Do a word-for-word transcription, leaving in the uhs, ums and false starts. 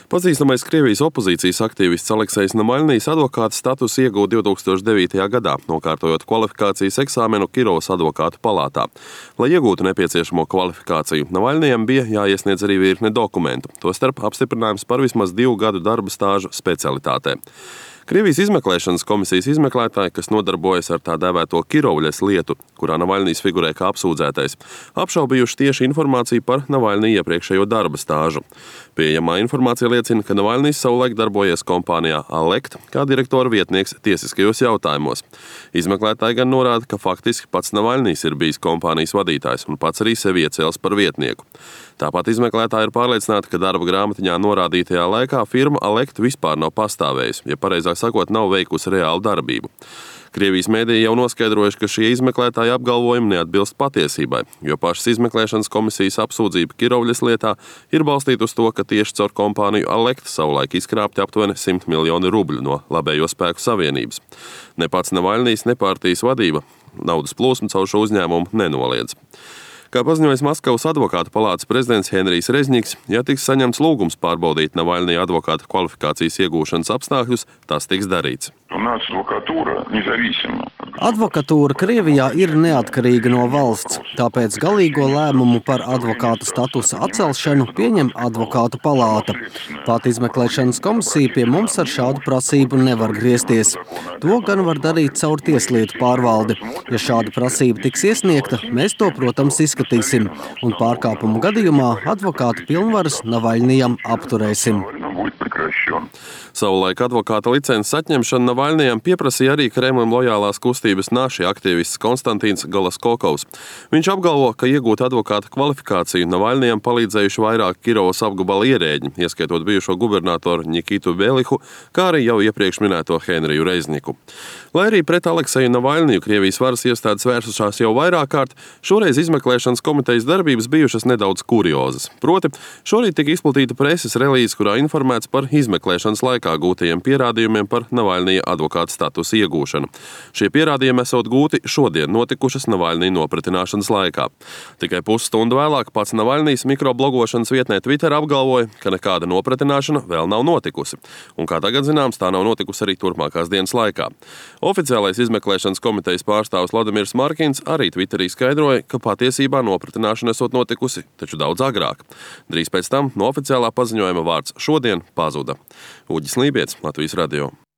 Pazīstamais Krievijas opozīcijas aktīvists Aleksejs Namaļnijs advokāta statusu ieguva divi tūkstoši devītajā gadā, nokārtojot kvalifikācijas eksāmenu Kirovas advokātu palātā. Lai iegūtu nepieciešamo kvalifikāciju, Namaļnijam bija jāiesniedz arī virkne dokumentu, tostarp apstiprinājums par vismaz divu gadu darba stāžu specialitātē. Krievijas izmeklēšanas komisijas izmeklētāji, kas nodarbojas ar tā dēvēto Kirovļas lietu, kurā Namaļnijs figurē kā apsūdzētais, apšaubījuši tieši informāciju par Namaļnija iepriekšējo darba stāžu. Pieejamā informācija liecina, ka Namaļnijs savulaik darbojies kompānijā Alekt kā direktora vietnieks tiesiskajos jautājumos. Izmeklētāji gan norāda, ka faktiski pats Namaļnijs ir bijis kompānijas vadītājs un pats arī sevi iecēlis par vietnieku. Tāpat izmeklētāji ir pārliecināti, ka darba grāmatiņā norādītajā laikā firma Alekt vispār nav pastāvējusi, ja pareizāk sakot, nav veikusi reālu darbību. Krievijas mēdīji jau noskaidrojuši, ka šie izmeklētāji apgalvojumi neatbilst patiesībai, jo pašas izmeklēšanas komisijas apsūdzība Kirovļas lietā ir balstīta uz to, ka tieši caur kompāniju Alekt savulaik izkrāpti aptuveni simt miljoni rubļu no Labējo spēku savienības. Ne pats Namaļnijs, ne partijas vadība naudas plūsmu caur šo uzņēmumu nenoliedz. Kā paziņojis Maskavas advokātu palātas prezidents Henrijs Rezņiks, ja tiks saņemts lūgums pārbaudīt Namaļnija advokāta kvalifikācijas iegūšanas apstākļus, tas tiks darīts. Advokatūra Krievijā ir neatkarīga no valsts, tāpēc galīgo lēmumu par advokāta statusa atcelšanu pieņem advokātu palāta. Pat izmeklēšanas komisija pie mums ar šādu prasību nevar griezties. To gan var darīt caur tieslietu pārvaldi. Ja šāda prasība tiks iesniegta, mēs to, protams, izskatīsim, un pārkāpumu gadījumā advokāta pilnvaras Namaļnijam apturēsim. Savulaik advokāta licences atņemšana Namaļnijam pieprasīja arī Kremlim lojālās kustības naši aktīvists Konstantīns Golaskokovs. Viņš apgalvo, ka iegūt advokāta kvalifikāciju Namaļnijam palīdzējuši vairāk Kirovas apgabala ierēģi, ieskaitot bijušo gubernatoru Nikitu Belihu, kā arī jau iepriekš minēto Henriju Rezņiku. Lai arī pret Alekseju Namaļniju Krievijas varas iestādes vērsušās jau vairāk kārt, šoreiz izmeklēšanas komitejas darbības bijušas nedaudz kuriozas. Proti, šorīt tika izplatīta preses relīze, kurā informēts par izmeklēšanas laikā gūtajiem pierādījumiem par Namaļnija advokāta statusa iegūšanu. Šie pierādījumi esot gūti šodien notikušas Namaļnija nopratināšanas laikā. Tikai pusstundu vēlāk pats Namaļnijs mikroblogošanas vietnē Twitter apgalvoja, ka nekāda nopratināšana vēl nav notikusi. Un kā tagad zināms, tā nav notikusi arī turpmākās dienas laikā. Oficiālais izmeklēšanas komitejas pārstāvis Vladimirs Markins arī Twitterī skaidroja, ka patiesībā nopratināšana esot notikusi, taču daudz agrāk. Drīz pēc tam no oficiālā paziņojuma vārds šodien pazuda. Uģis Lībietis, Latvijas radio.